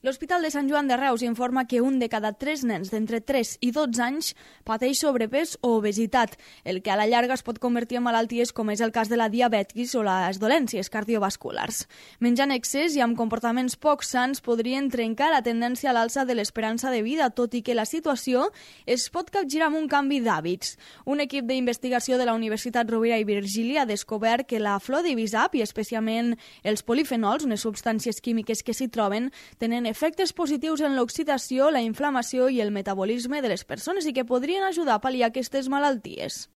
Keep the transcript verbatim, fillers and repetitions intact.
L'Hospital de Sant Joan de Reus informa que un de cada tres nens d'entre tres i dotze anys pateix sobrepès o obesitat, el que a la llarga es pot convertir en malalties com és el cas de la diabetis o les dolències cardiovasculars. Menjar en excés i amb comportaments poc sants podrien trencar la tendència a l'alça de l'esperança de vida, tot i que la situació es pot capgirar amb un canvi d'hàbits. Un equip d'investigació de la Universitat Rovira i Virgili ha descobert que la flor d'Ibizap, i especialment els polifenols, unes substàncies químiques que s'hi troben, tenen efectes positius en l'oxidació, la inflamació i el metabolisme de les persones i que podrien ajudar a pal·liar aquestes malalties.